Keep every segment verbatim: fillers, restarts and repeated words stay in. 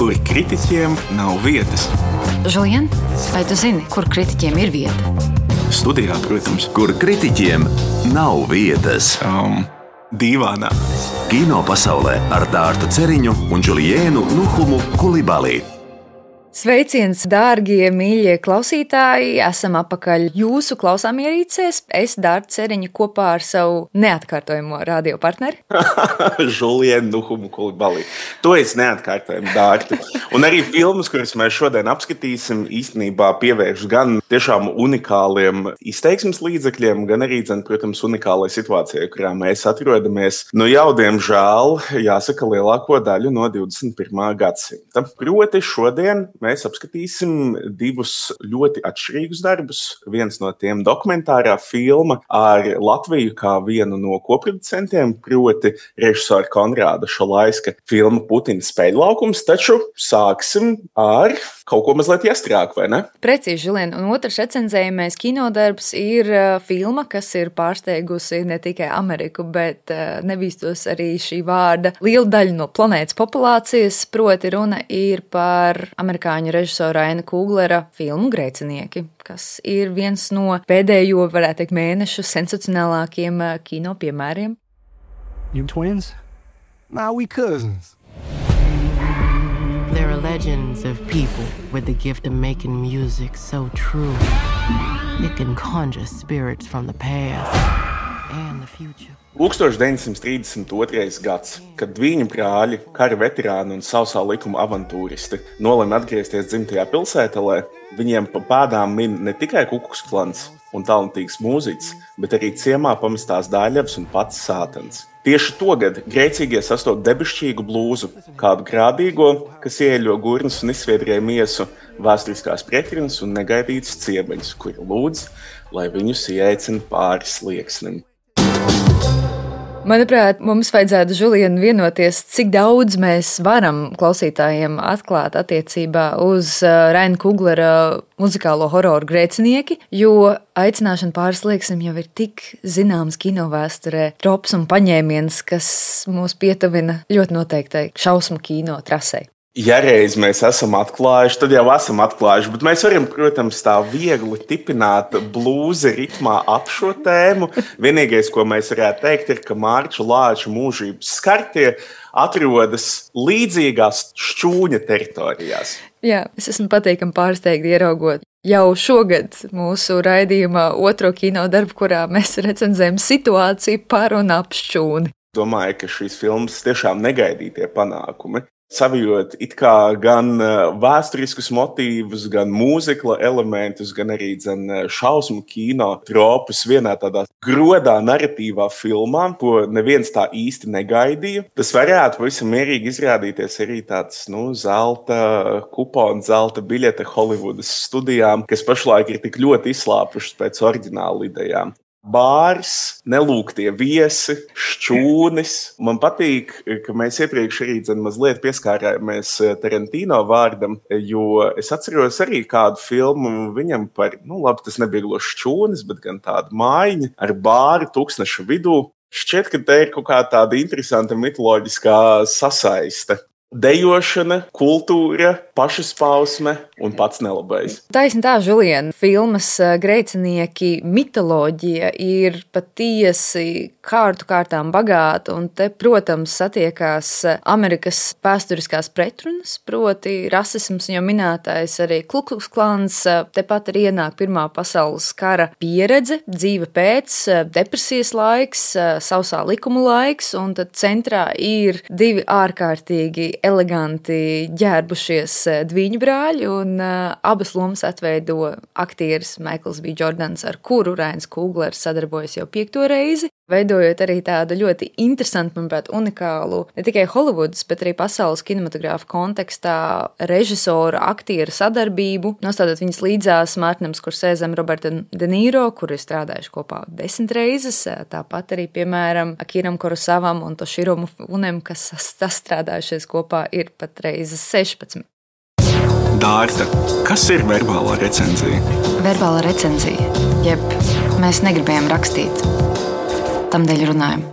kur kritiķiem nav vietas. Žulien, vai tu zini, kur kritiķiem ir vieta? Studijā, protams. Kur kritiķiem nav vietas. Um, dīvānā. Kino pasaulē ar Dārtu Ceriņu un Džuliēnu Nuhumu Kulibali. Sveiciens, dārgie, mīļie klausītāji! Esam apakaļ jūsu klausāmierīcēs. Es, Dārta Ceriņa, kopā ar savu neatkārtojamo radiopartneri. Džuliēnu Nuhumu Kulibali. To es neatkārtojumu, Dārta. Un arī filmas, kuras mēs šodien apskatīsim, īstenībā pievērš gan tiešām unikāliem izteiksmes līdzekļiem, gan arī, protams, unikālai situācijai, kurā mēs atrodamies. Nu jau, diemžēl, jāsaka, lielāko daļu no divdesmit pirmā gadsimta. Proti šodien mēs apskatīsim divus ļoti atšķirīgus darbus. Viens no tiem dokumentārā filma ar Latviju kā vienu no koproducentiem, proti režisora Konrāda Šalaiska filma Putina spēļlaukums, taču sāksim ar kaut ko mazliet iestrāku, vai ne? Precīzi, Žulien. Un otrs recenzējamais kinodarbs ir filma, kas ir pārsteigusi ne tikai Ameriku, bet nebīstos arī šī vārda lielu daļu no planētas populācijas, proti runa ir par amerikāņu režisora Raina Kuglera filmu Grēcinieki, kas ir viens no pēdējo, varētu teikt, mēnešu sensacionālākiem kino piemēriem. You twins? Nah, we cousins. There are legends of people with the gift of making music so true. It can conjure spirits from the past and the future. tūkstoš deviņsimt trīsdesmit otrais gads, kad Dvīņu brāļi, kara veterāni un sausā likuma avantūristi nolēma atgriezties dzimtajā pilsētelē, viņiem pa pēdām min ne tikai Kukuksklans un talantīgs mūziķis, bet arī ciemā pamestās Dāļavs un pats Sātans. Tieši togad grēcīgie sastop debešķīgu blūzu, kādu grādīgo, kas ieeļo gurnas un izsviedrēja miesu, vēsturiskās pretrunas un negaidītas ciemeņus, kuri lūdz, lai viņus ieaicina pāri slieksnim. Manuprāt, mums vajadzētu, Žulien, vienoties, cik daudz mēs varam klausītājiem atklāt attiecībā uz Raina Kuglera muzikālo hororu Grēcinieki, jo aicināšana pāri slieksnim jau ir tik zināms kinovēsturē trops un paņēmiens, kas mūs pietuvina ļoti noteiktai šausmu kino trasei. Ja reiz mēs esam atklājuši, tad jau esam atklājuši, bet mēs varam, protams, tā viegli tipināt blūzi ritmā ap šo tēmu. Vienīgais, ko mēs varētu teikt, ir, ka Mārča Lāča mūžības skartie atrodas līdzīgās šķūņa teritorijās. Jā, es esmu patīkami pārsteigta ieraugot jau šogad mūsu raidījumā otro kino darbu, kurā mēs recenzējam situāciju par un ap šķūni. Domāju, ka šīs filmas tiešām negaidītie panākumi. Savijot it kā gan vēsturiskus motīvus, gan mūzikla elementus, gan arī dzen, šausmu kino tropus vienā tādā grodā narratīvā filmā, ko neviens tā īsti negaidīja. Tas varētu pavisam mierīgi izrādīties arī tāds, nu, zelta kupona, zelta biļete Holivudas studijām, kas pašlaik ir tik ļoti izslāpušas pēc oriģināla idejām. Bārs, nelūgtie viesi, šķūnis. Man patīk, ka mēs iepriekš arī dzen, mazliet pieskārāmies Tarantino vārdam, jo es atceros arī kādu filmu viņam par, nu labi, tas nebija gluži šķūnis, bet gan tāda mājiņa ar bāru tūkstneša vidū. Šķiet, ka te ir kaut kā tāda interesanta mitoloģiskā sasaiste. Dejošana, kultūra, pašaspausme un pats nelabais. Taisni tā, Žulien, filmas Grēcinieki mitoloģija ir patiesi kārtu kārtām bagāta, un te, protams, satiekās Amerikas vēsturiskās pretrunas, proti rasisms, jau minētais arī Kukuksklans, tepat arī ienāk Pirmā pasaules kara pieredze, dzīve pēc, depresijas laiks, sausā likuma laiks, un tad centrā ir divi ārkārtīgi eleganti ģērbušies Dvīņu brāļi, un uh, abas lomas atveido aktieris Maikls B. Jordans, ar kuru Rains Kuglers sadarbojas jau piekto reizi, veidojot arī tādu ļoti interesantu, manuprāt, unikālu ne tikai Holivudas, bet arī pasaules kinematogrāfa kontekstā režisoru, aktieru sadarbību, nostādot viņas līdzās Mārtinam Skorsēzem, Robertam De Niro, kuri ir strādājuši kopā desmit reizes, tāpat arī, piemēram, Akiram Kurosavam un Toshiro Mifunem, kas sastrādājušies kopā ir pat reizes sešpadsmit. Dārta, kas ir verbālā recenzija? Verbālā recenzija, jeb mēs negribējām rakstīt, tamdēļ runājam.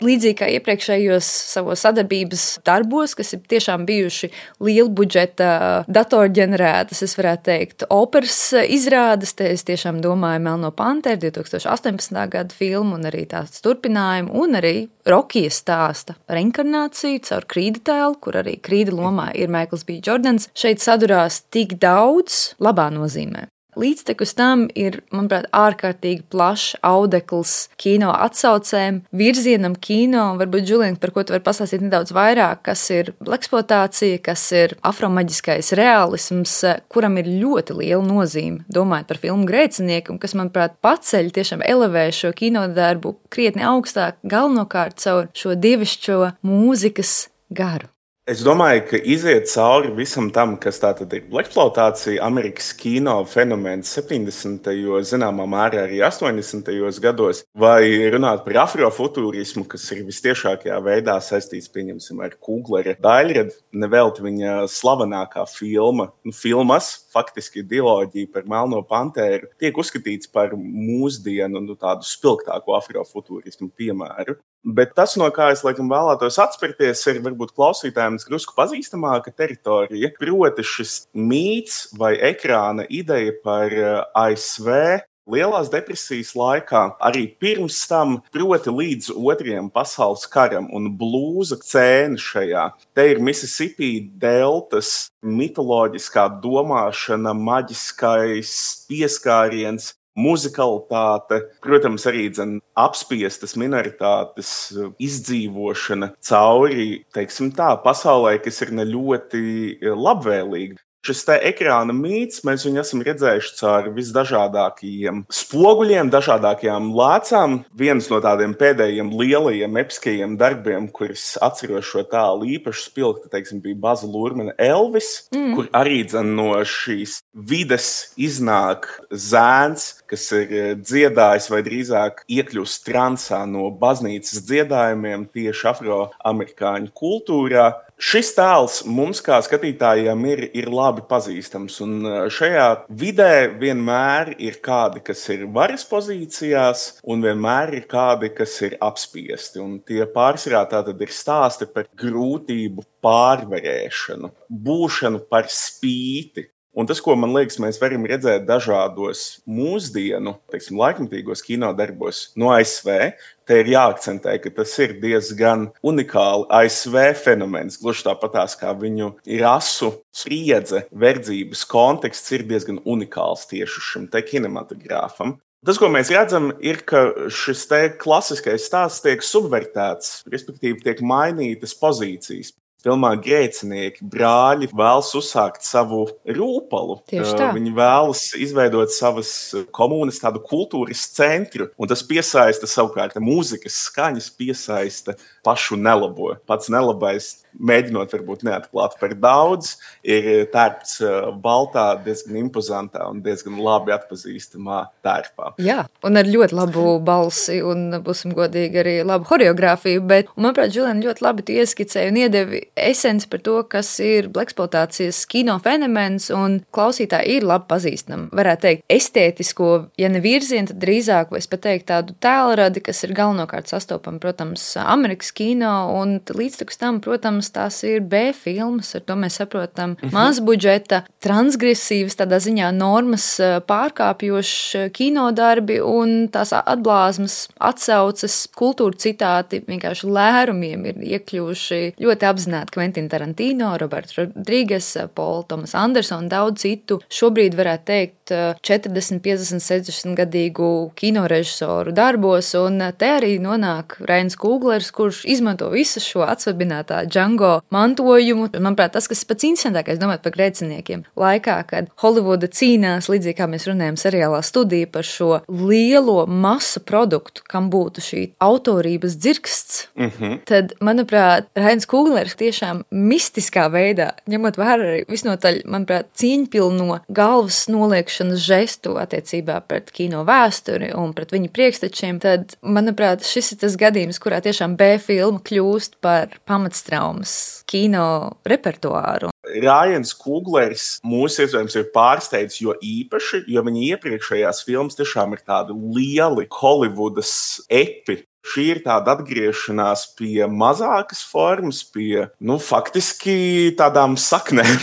Līdzīgi kā iepriekšējos savos sadarbības darbos, kas ir tiešām bijuši liela budžeta datorģenerētas, es varētu teikt, operas izrādes, te es tiešām domāju Melno Panteru, divi tūkstoši astoņpadsmitā gada filmu un arī tās turpinājumu, un arī Rokija stāsta reinkarnāciju caur Krīda tēlu, kur arī Krīda lomā ir Maikls B. Jordans. Šeit sadurās tik daudz labā nozīmē. Līdztekus tam ir, manuprāt, ārkārtīgi plašs audekls kino atsaucēm, virzienam kino. Varbūt, Džulien, par ko tu vari pastāstīt nedaudz vairāk, kas ir bleksploatācija, kas ir afromaģiskais realisms, kuram ir ļoti liela nozīme, domājot par filmu Grēcinieki, un kas, manuprāt, paceļ, tiešām elevē šo kinodarbu krietni augstāk, galvenokārt caur šo dievišķo mūzikas garu. Es domāju, ka iziet cauri visam tam, kas tātad ir bleksploatācija, Amerikas kino fenomens septiņdesmitajos, zināmā mērā arī astoņdesmitajos gados, vai runāt par afrofuturismu, kas ir vistiešākajā veidā saistīts, pieņemsim, ar Kuglera Daļradu, nevelti viņa slavenākā filma, nu, filmas, faktiski diloģija par Melno Panteru, tiek uzskatīts par mūsdienu, nu, tādu spilgtāko afrofuturismu piemēru. Bet tas, no kā es laikam vēlētos atspirties, ir varbūt klausītājiem drusku pazīstamāka teritorija. Proti šis mīts vai ekrāna ideja par A S V Lielās depresijas laikā, arī pirms tam, proti līdz otrajam pasaules karam un blūza cēna šajā. Te ir Mississippi deltas mitoloģiskā domāšana, maģiskais pieskāriens, muzikalitāte, protams, arī dzen, apspiestas minoritātes izdzīvošana cauri, teiksim tā, pasaulē, kas ir ne ļoti labvēlīga. Šis te ekrāna mīts, mēs viņu esam redzējuši caur visdažādākajiem spoguļiem, dažādākajām lācām. Viens no tādiem pēdējiem lielajiem episkajiem darbiem, kurus atceros šo tālu īpaši spilgti, teiksim, bija Baza Lurmana Elvis, mm. kur arī dzen, no šīs vides iznāk zēns, kas ir dziedājis vai drīzāk iekļūst transā no baznīcas dziedājumiem tieši afroamerikāņu kultūrā. Šis tēls mums kā skatītājiem ir, ir labi pazīstams, un šajā vidē vienmēr ir kādi, kas ir varas pozīcijās, un vienmēr ir kādi, kas ir apspiesti. Un tie pārsvarā tātad ir stāsti par grūtību pārvarēšanu, būšanu par spīti. Un tas, ko man liekas, mēs varam redzēt dažādos mūsdienu, teiksim, laikmatīgos kinodarbos no A S V, te ir jāakcentē, ka tas ir diezgan unikāli A S V fenomens, gluži tāpatās kā viņu rasu spriedze, verdzības konteksts ir diezgan unikāls tieši šim te kinematogrāfam. Tas, ko mēs redzam, ir, ka šis te klasiskais stāsts tiek subvertēts, respektīvi tiek mainītas pozīcijas. Filmā Grēcinieki brāļi vēlas uzsākt savu rūpalu. Viņi vēlas izveidot savas komunas, tādu kultūras centru, un tas piesaista savukārt mūzikas skaņas, piesaista pašu nelabo. Pats nelabais, mēģinot varbūt neatklāt par daudz, ir tērpts baltā, diezgan impozantā un diezgan labi atpazīstamā tērpā. Jā, un ar ļoti labu balsi un, būsim godīgi, arī labu horeogrāfiju, bet, un, manuprāt, Džulien ļoti labi tu ieskicēji un iedevi esenci par to, kas ir bleksploatācijas kino fenomens, un klausītāji ir labi pazīstami. Varētu teikt, estētisko, ja ne virzienu, tad drīzāk, vai es pat teiktu tādu tēlradi, kas ir galvenokārt sastopama, protams, Amerikas kino, un līdztekus tam, protams, tās ir B filmas, ar to mēs saprotam mm-hmm. mazbudžeta, transgresīvas, tādā ziņā normas pārkāpjoši kinodarbi, un tās atblāzmas, atsauces, kultūra citāti, vienkārši lērumiem ir iekļuvuši ļoti apzināti Quentin Tarantino, Roberts Rodrīgas, Paul Thomas Anderson un daudz citu. Šobrīd varētu teikt četrdesmit, piecdesmit, sešdesmit gadīgu kinorežisoru darbos, un te arī nonāk Rains Kuglers, kurš izmanto visu šo atsvabinātā Django mantojumu. Manuprāt, tas, kas pats interesantākais, domāt par Grēciniekiem, laikā, kad Holivuda cīnās, līdzīgi kā mēs runājam seriālā Studija, par šo lielo masu produktu, kam būtu šī autorības dzirksts, mm-hmm. tad, manuprāt, Rains Kuglers tiešām mistiskā veidā, ņemot vērā arī visnotaļ, manuprāt, cīņpilno galvas noliekšanas žestu attiecībā pret kino vēsturi un pret viņu priekštečiem, tad, manuprāt, šis ir tas gadījums, kurā tiešām B filma kļūst par pamatstraumas kino repertuāru. Rājans Kuglers mūs iespējams ir pārsteidz, jo īpaši, jo viņa iepriekšējās filmas tiešām ir tādi lieli Holivudas epi. Šī ir tāda atgriešanās pie mazākas formas, pie, nu, faktiski tādām saknēm.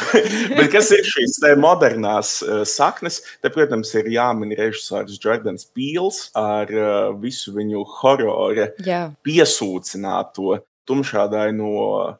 Bet kas ir šīs te modernās uh, saknes? Te, protams, ir jāmin režisors Jordans Peels ar uh, visu viņu horora Jā. piesūcināto tumšādaino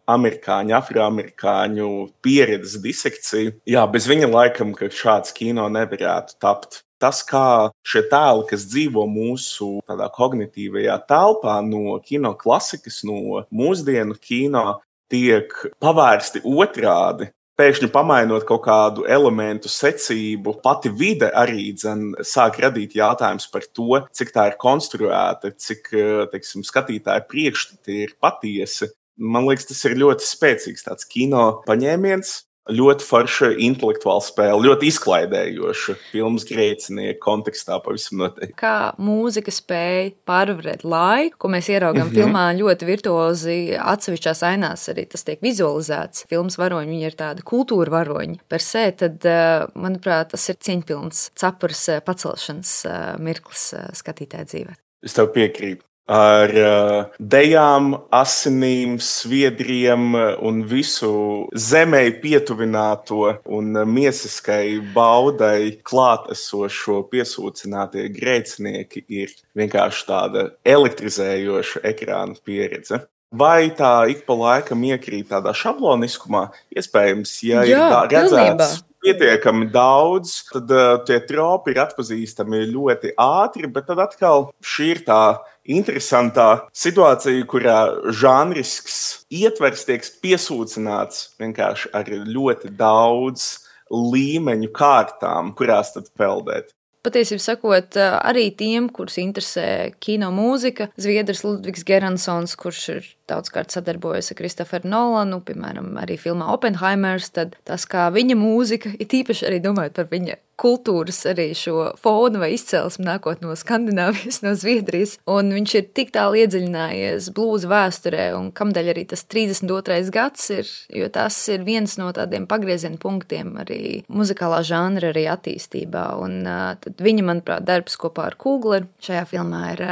amerikāņu, afroamerikāņu pieredzes disekciju. Jā, bez viņa laikam, ka šāds kino nevarētu tapt. Tas, kā šie tēli, kas dzīvo mūsu tādā kognitīvajā telpā no kino klasikas, no mūsdienu kino, tiek pavērsti otrādi. Pēkšņi pamainot kaut kādu elementu secību, pati vide arī dzen, sāk radīt jautājums par to, cik tā ir konstruēta, cik, teiksim, skatītāja priekšstati ir patiesi. Man liekas, tas ir ļoti spēcīgs tāds kino paņēmiens. Ļoti forša intelektuāla spēle, ļoti izklaidējoša filmas Grēcinieki kontekstā pavisam noteikti. Kā mūzika spēja pārvarēt laiku, ko mēs ieraugām mm-hmm. filmā ļoti virtuozi atsevišķās ainās, arī tas tiek vizualizēts. Filmas varoņi, viņi ir tādi kultūra varoņi per se, tad, manuprāt, tas ir cieņpilns cepures pacelšanas mirklis skatītāja dzīvē. Es tev piekrītu. Ar uh, dejām, asinīm, sviedriem un visu zemei pietuvināto un miesiskai baudai klātesošo piesūcinātie grēcinieki ir vienkārši tāda elektrizējoša ekrāna pieredze. Vai tā ik pa laikam iekrīt tādā šabloniskumā? Iespējams, ja Jā, ir redzēts pilnībā. Pietiekami daudz, tad uh, tie tropi ir atpazīstami ļoti ātri, bet tad atkal šī ir tā interesantā situācija, kurā žanrisks ietvers tiek piesūcināts vienkārši ar ļoti daudz līmeņu kārtām, kurās tad peldēt. Patiesībā sakot, arī tiem, kurus interesē kino mūzika, zviedrs Ludvigs Geransons, kurš ir daudzkārt sadarbojas ar Kristoferu Nolanu, piemēram, arī filmā Oppenheimers, tad tas, kā viņa mūzika, ir tīpaši arī domājot par viņa kultūras arī šo fonu vai izcelsmi nākot no Skandināvijas, no Zviedrijas, un viņš ir tik tālu iedziļinājies blūza vēsturē, un kamdēļ arī tas trīsdesmit otrais gads ir, jo tas ir viens no tādiem pagrieziena punktiem arī muzikālā žanra arī attīstībā, un tad viņa, manuprāt, darbs kopā ar Kugleru šajā filmā ir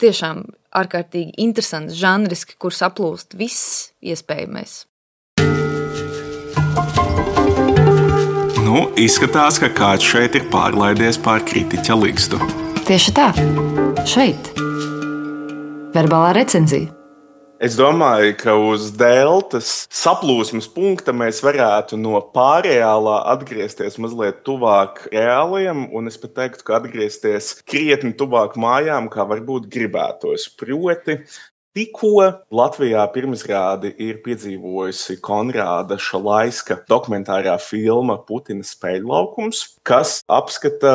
tiešām ārkārtīgi interesants žanriski, kur saplūst viss iespējamais. Nu, izskatās, ka kāds šeit ir pārlaidies pār kritiķa ligzdu. Tieši tā. Šeit. Verbālā recenzija. Es domāju, ka uz deltas saplūsmes punkta mēs varētu no pārreālā atgriezties mazliet tuvāk reāliem, un es pat teiktu, ka atgriezties krietni tuvāk mājām, kā varbūt gribētos. Proti, tikko Latvijā pirmizrādi ir piedzīvojusi Konrāda Šalaiska dokumentārā filma Putina spēļlaukums, kas apskata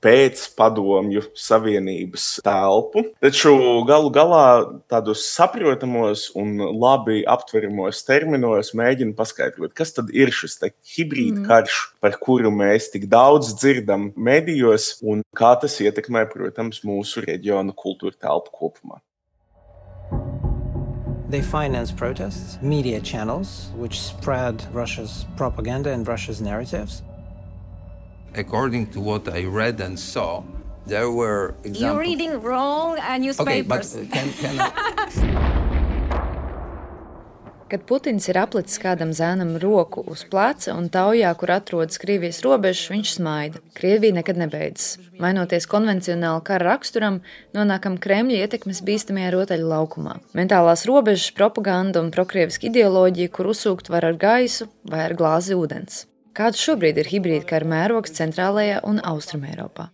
pēc padomju savienības telpu. Taču galu galā tādos saprotamos un labi aptveramos terminos mēģina paskaidrot, kas tad ir šis te hibrīda karš, par kuru mēs tik daudz dzirdam medijos, un kā tas ietekmē, protams, mūsu reģionu kultūra telpu kopumā. They finance protests, media channels, which spread Russia's propaganda and Russia's narratives. According to what I read and saw, there were examples... You're reading wrong uh, newspapers. Okay, but can, can I... Kad Putins ir aplicis kādam zēnam roku uz pleca un taujā, kur atrodas Krievijas robežas, viņš smaida. Krievija nekad nebeidzas. Mainoties konvencionāli kara raksturam, nonākam Kremļa ietekmes bīstamajā rotaļu laukumā. Mentālās robežas, propaganda un prokrieviska ideoloģija, kur uzsūkt var ar gaisu vai ar glāzi ūdens. Kāds šobrīd ir hibrīda kara mērogs centrālajā un austrumēropā?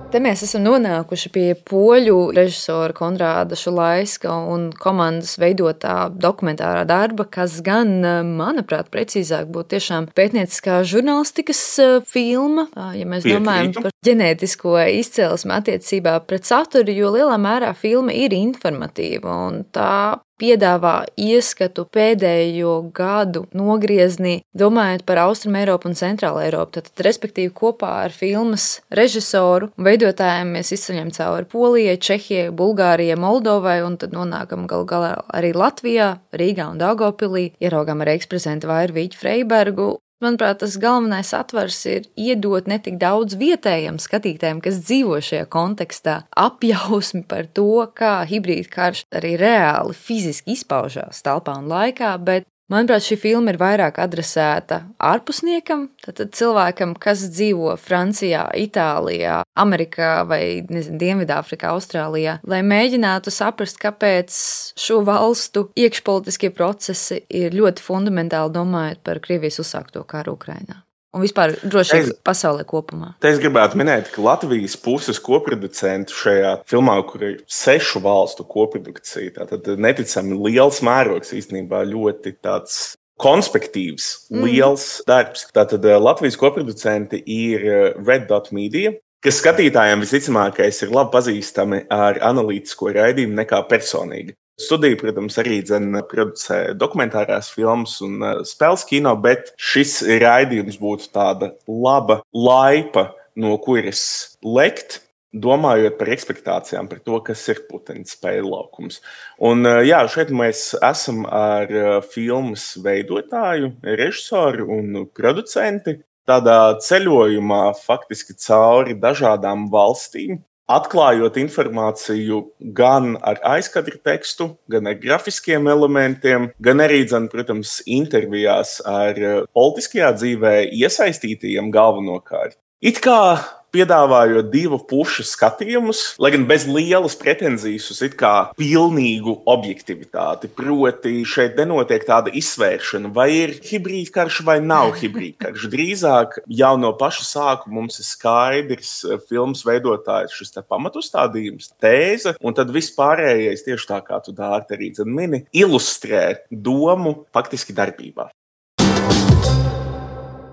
Te mēs esam nonākuši pie poļu režisora Konrāda Šalaiska un komandas veidotā dokumentārā darba, kas gan, manuprāt, precīzāk būtu tiešām pētnieciskā žurnālistikas filma, ja mēs Piekrītu. domājam par ģenētisko izcelsmi attiecībā pret saturu, jo lielā mērā filma ir informatīva un tā piedāvā ieskatu pēdējo gadu nogrieznī, domājot par Austrumu Eiropu un Centrālu Eiropu. Tad, respektīvi, kopā ar filmas režisoru un veidotājiem mēs izceļam cauri Polijai, Čehijai, Bulgārijai, Moldovai, un tad nonākam galu galā arī Latvijā, Rīgā un Daugavpilī, ieraugām arī eksprezentu Vairu Vīķu Freibergu. Manuprāt, tas galvenais atvars ir iedot ne tik daudz vietējiem skatītājiem, kas dzīvo šajā kontekstā, apjausmi par to, kā hibrīda karš arī reāli fiziski izpaužās telpā un laikā, bet manuprāt, šī filma ir vairāk adresēta ārpusniekam, tātad cilvēkam, kas dzīvo Francijā, Itālijā, Amerikā vai, nezinu, Dienvidāfrikā, Austrālijā, lai mēģinātu saprast, kāpēc šo valstu iekšpolitiskie procesi ir ļoti fundamentāli domājot par Krievijas uzsākto karu Ukrainā. Un vispār droši vien pasaulē kopumā. Te es gribētu minēt, ka Latvijas puses koproducentu šajā filmā, kur ir sešu valstu koprodukcija, tātad neticami liels mērogs, īstenībā ļoti tāds konspektīvs, mm. liels darbs. Tātad Latvijas koproducenti ir Red Dot Media, kas skatītājiem visticamākais ir labi pazīstami ar analītisko raidījumu nekā personīgi. Studija, protams, arī dzen producē dokumentārās filmas un spēles kino, bet šis raidījums būtu tāda laba laipa, no kuras lekt, domājot par ekspektācijām, par to, kas ir Putina spēļu laukums. Un jā, šeit mēs esam ar filmas veidotāju, režisoru un producenti tādā ceļojumā faktiski cauri dažādām valstīm, atklājot informāciju gan ar aizkadra tekstu, gan ar grafiskiem elementiem, gan arī, dzen, protams, intervijās ar politiskajā dzīvē iesaistītajiem galvenokārt. It kā piedāvājot divu pušu skatījumus, lai gan bez lielas pretenzijas uz it kā pilnīgu objektivitāti. Proti, šeit nenotiek tāda izsvēršana, vai ir hibrīdkarš vai nav hibrīdkarš. Drīzāk jau no paša sākuma mums ir skaidrs filmas veidotājs šis te pamatustādījums, tēze, un tad viss pārējais, tieši tā kā tu Dārta arī dzen mini, ilustrē domu faktiski darbībā.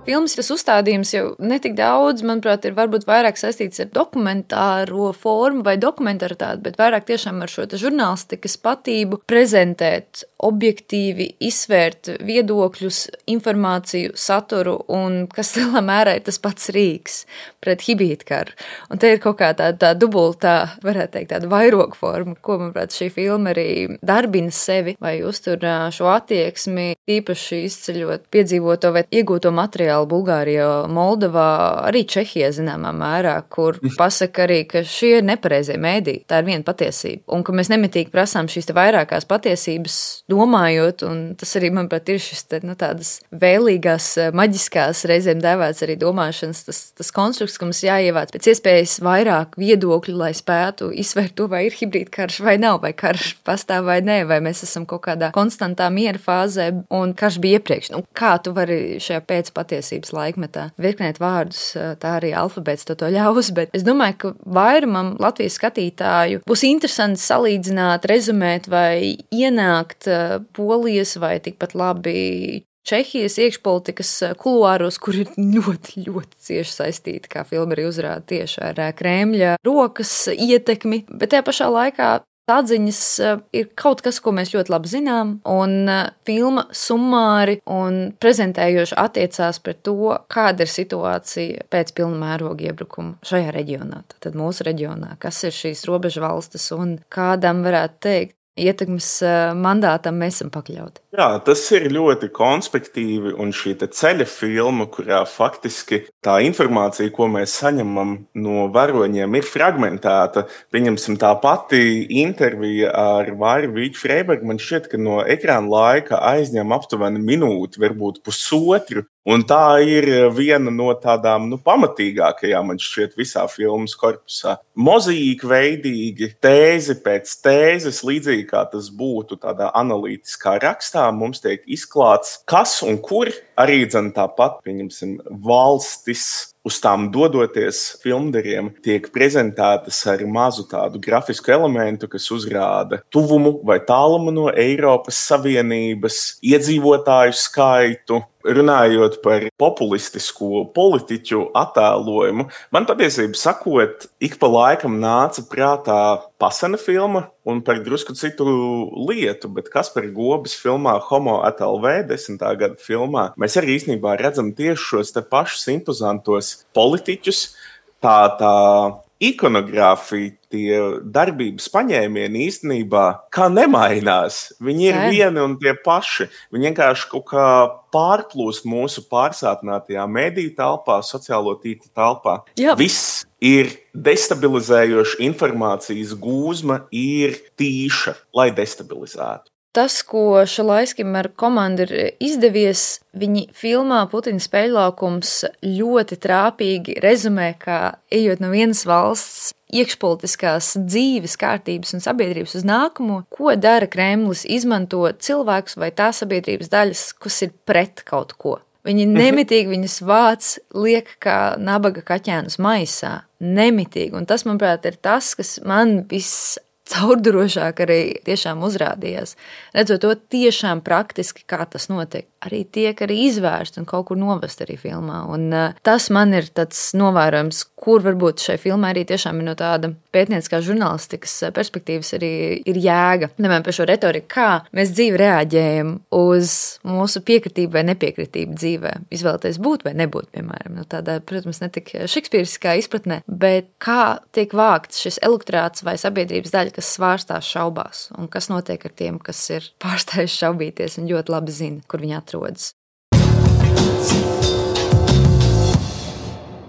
Filmas tas uzstādījums jau netik daudz, manuprāt, ir varbūt vairāk saistīts ar dokumentāro formu vai dokumentaritāti, bet vairāk tiešām ar šo žurnālistikas patību prezentēt, objektīvi izsvērt viedokļus, informāciju, saturu un, kas lielā mērā ir tas pats rīks pret hibrīdkaru. Un te ir kaut kā tā, tā dubultā, varētu teikt, tāda vairoga forma, ko, manuprāt, šī filma arī darbina sevi vai uztur šo attieksmi, īpaši izceļot piedzīvoto vai iegūto materiālu Bulgārijā, Moldovā, arī Čehijā zināmā mērā, kur pasaka arī, ka šie ir nepareizie mēdī, tā ir viena patiesība. Un ka mēs nemitīgi prasām šīs te vairākās patiesības domājot, un tas arī, manuprāt, ir šis te, nu, tādas vēlīgās, maģiskās, reizēm dēvēts arī domāšanas, tas, tas konstrukts, ka mums jāievāc pēc iespējas vairāk viedokļu, lai spētu izsvērt to, vai ir hibrīdkarš vai nav, vai karš pastāv vai nē, vai mēs esam kaut kādā konstantā miera fāzē, un karš bija iepriekš. Nu, kā tu vari šajā pēcpatiesībā laikmetā virknēt vārdus, tā arī alfabēts to, to ļaus, bet es domāju, ka vairumam Latvijas skatītāju būs interesanti salīdzināt, rezumēt vai ienākt Polijas vai tikpat labi Čehijas iekšpolitikas kuluāros, kur ir ļoti, ļoti cieši saistīti, kā filma arī uzrāda tieši ar Kremļa rokas ietekmi, bet tajā pašā laikā atziņas ir kaut kas, ko mēs ļoti labi zinām, un filma summāri un prezentējoši attiecās par to, kāda ir situācija pēc pilna mēroga iebrukuma šajā reģionā, tad mūsu reģionā, kas ir šīs robežu valstis un kādam varētu teikt, ietekmes mandātam mēs esam pakļauti. Jā, tas ir ļoti konspektīvi, un šī te ceļa filma, kurā faktiski tā informācija, ko mēs saņemam no varoņiem, ir fragmentēta. Pieņemsim, tā pati intervija ar Vairu Vīķu Freibergu, man šķiet, ka no ekrāna laika aizņem aptuveni minūti, varbūt pusotru, un tā ir viena no tādām, nu, pamatīgākajām, man šķiet, visā filmas korpusā. Mozaīka veidīgi, tēzi pēc tēzes, līdzīgi kā tas būtu tādā analītiskā rakstā, mums tiek izklāts, kas un kur arī dzen tāpat, pieņemsim, valstis uz tām dodoties filmdariem tiek prezentētas ar mazu tādu grafisku elementu, kas uzrāda tuvumu vai tālumu no Eiropas Savienības, iedzīvotāju skaitu. Runājot par populistisko politiķu attēlojumu, man patiesībā sakot, ik pa laikam nāca prātā Pasena filma un par drusku citu lietu, bet Kaspara Gobes filmā Homo et al. desmitā gada filmā mēs arī īstenībā redzam tieši šos te pašus impozantos politiķus, tā tā ikonogrāfija tie darbības paņēmieni īstenībā kā nemainās. Viņi ir Jā. vieni un tie paši. Viņi vienkārši kaut kā pārplūst mūsu pārsātinātajā mediju telpā, sociālo tīklu telpā. Jā. Viss ir destabilizējoša informācijas gūzma, ir tīša, lai destabilizētu. Tas, ko Šalaiskim ar komandu ir izdevies, viņi filmā Putina spēļlaukums ļoti trāpīgi rezumē, kā ejot no vienas valsts iekšpolitiskās dzīves kārtības un sabiedrības uz nākamo, ko dara Kremlis, izmanto cilvēkus vai tā sabiedrības daļas, kas ir pret kaut ko. Viņi nemitīgi viņus vāc, liek kā nabaga kaķēnus maisā. Nemitīgi. Un tas, manuprāt, ir tas, kas man viss caurdurošāk arī tiešām uzrādījās. Redzot to tiešām praktiski, kā tas notiek. Arī tiek arī izvērst un kaut kur novest arī filmā. Un uh, tas man ir tāds novērojums, kur varbūt šai filmai arī tiešām ir no tāda pētnieciskā žurnālistikas perspektīvas arī ir jēga. Nemēr par šo retoriku, kā mēs dzīvi reaģējam uz mūsu piekritību vai nepiekritību dzīvē. Izvēlēties būt vai nebūt, piemēram. No tādā, protams, ne tik šekspīriskā izpratnē, bet kā tiek vākts šis elektorāts vai sabiedrības daļa, kas svārstās šaubās, un kas notiek ar tiem, kas ir pārstājuši šaubīties un ļoti labi zina, kur viņi atrodas.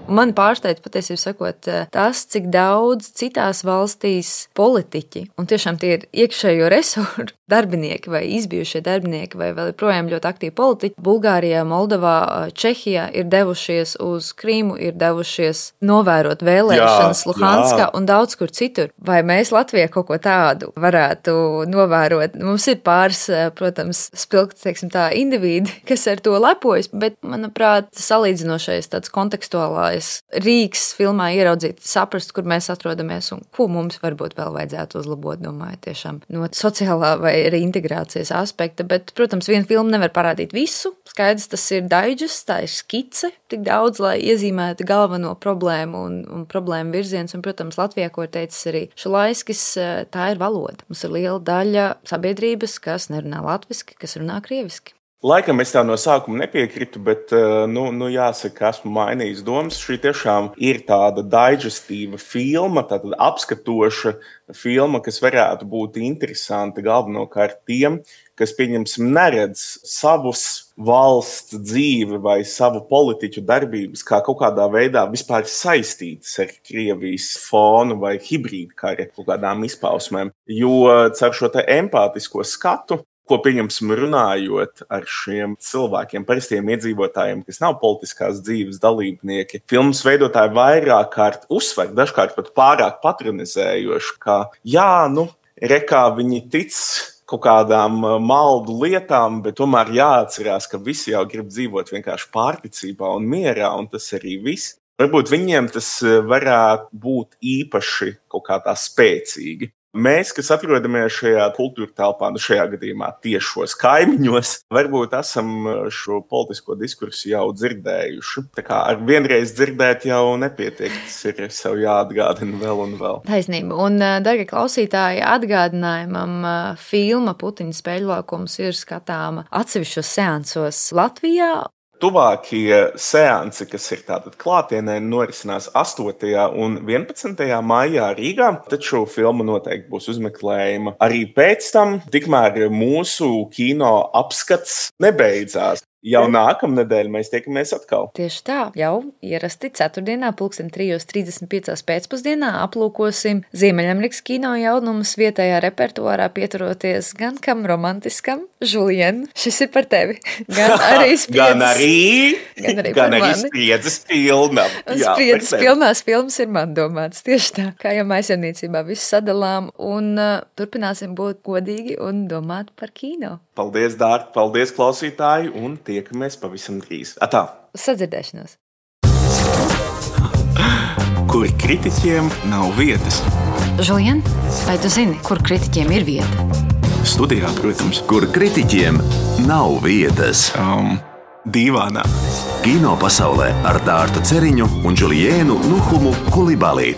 Man pārsteidz patiesībā sakot tas, cik daudz citās valstīs politiķi, un tiešām tie ir iekšējo resursu darbinieki vai izbijušie darbinieki vai vēl projām ļoti aktīvi politiķi, Bulgārijā, Moldovā, Čehijā ir devušies uz Krīmu, ir devušies novērot vēlēšanas jā, Luhanskā jā. Un daudz kur citur. Vai mēs Latvijā kaut ko tādu varētu novērot? Mums ir pāris, protams, spilgti, teiksim tā, individi, kas ar to lepojas, bet, manuprāt, salīdzinošais tāds kontekstuālais rīks filmā ieraudzīt, saprast, kur mēs atrodamies un ko mums varbūt vēl vajadzētu uzlabot, domāju, tiešām no sociālā vai arī integrācijas aspekta, bet, protams, viena filma nevar parādīt visu. Skaidrs, tas ir digest, tā ir skice, tik daudz, lai iezīmētu galveno problēmu un, un problēmu virziens, un, protams, Latvijā, ko ir teicis arī Šalaiskis, tā ir valoda. Mums ir liela daļa sabiedrības, kas nerunā latviski, kas runā krieviski. Laikam es tā no sākuma nepiekritu, bet, nu, nu jāsaka, esmu mainījis domas. Šī tiešām ir tāda digestīva filma, tāda apskatoša filma, kas varētu būt interesanta galvenokārt tiem, kas, pieņemsim, neredz savus valsts dzīvi vai savu politiķu darbības kā kaut kādā veidā vispār saistītas ar Krievijas fonu vai hibrīdkara kaut kādām izpausmēm. Jo caur šo te empātisko skatu, ko, pieņemsim, runājot ar šiem cilvēkiem, parastiem iedzīvotājiem, kas nav politiskās dzīves dalībnieki, filmas veidotāji vairāk kārt uzsver, dažkārt pat pārāk patronizējoši, ka jā, nu, rekā viņi tic kaut kādām maldu lietām, bet tomēr jāatcerās, ka visi jau grib dzīvot vienkārši pārticībā un mierā, un tas arī viss. Varbūt viņiem tas varētu būt īpaši kaut kā tā spēcīgi. Mēs, kas atrodamies šajā kultūra telpā, nu šajā gadījumā tiešos kaimiņos, varbūt esam šo politisko diskursu jau dzirdējuši. Tā kā ar vienreiz dzirdēt jau nepietiek, tas ir sev jāatgādina vēl un vēl. Taisnība. Un, dargie klausītāji, atgādinājumam filma Putina spēļlaukums ir skatāma atsevišķos seansos Latvijā. Tuvākie seansi, kas ir tātad klātienē, norisinās astotajā un vienpadsmitajā maijā Rīgā, taču filma noteikti būs uzmeklējama arī pēc tam, tikmēr mūsu kino apskats nebeidzās. Jau nākamnedēļ mēs tiekamies atkal. Tieši tā, jau ierasti ceturtdienā, pulksten trijos trīsdesmit piecās pēcpusdienā aplūkosim Ziemeļamerikas kino jaunumus vietējā repertuārā, pieturoties gan kam romantiskam, Julien, šis ir par tevi, gan arī spriedzes, gan arī, gan arī, gan arī spriedzes pilna. Jā, spriedzes pilnās filmas ir man domāts, tieši tā, kā jau maisaimniecībā visu sadalām, un uh, turpināsim būt godīgi un domāt par kino. Paldies, Dārta, paldies, klausītāji, un tiekamies pavisam drīz. Atā! Sadzirdēšanos! Kur kritiķiem nav vietas. Julien, vai tu zini, kur kritiķiem ir vieta? Studijā, protams. Kur kritiķiem nav vietas. Um, dīvānā. Kino pasaulē ar Dārtu Ceriņu un Juliēnu Nuhumu Kulibalī.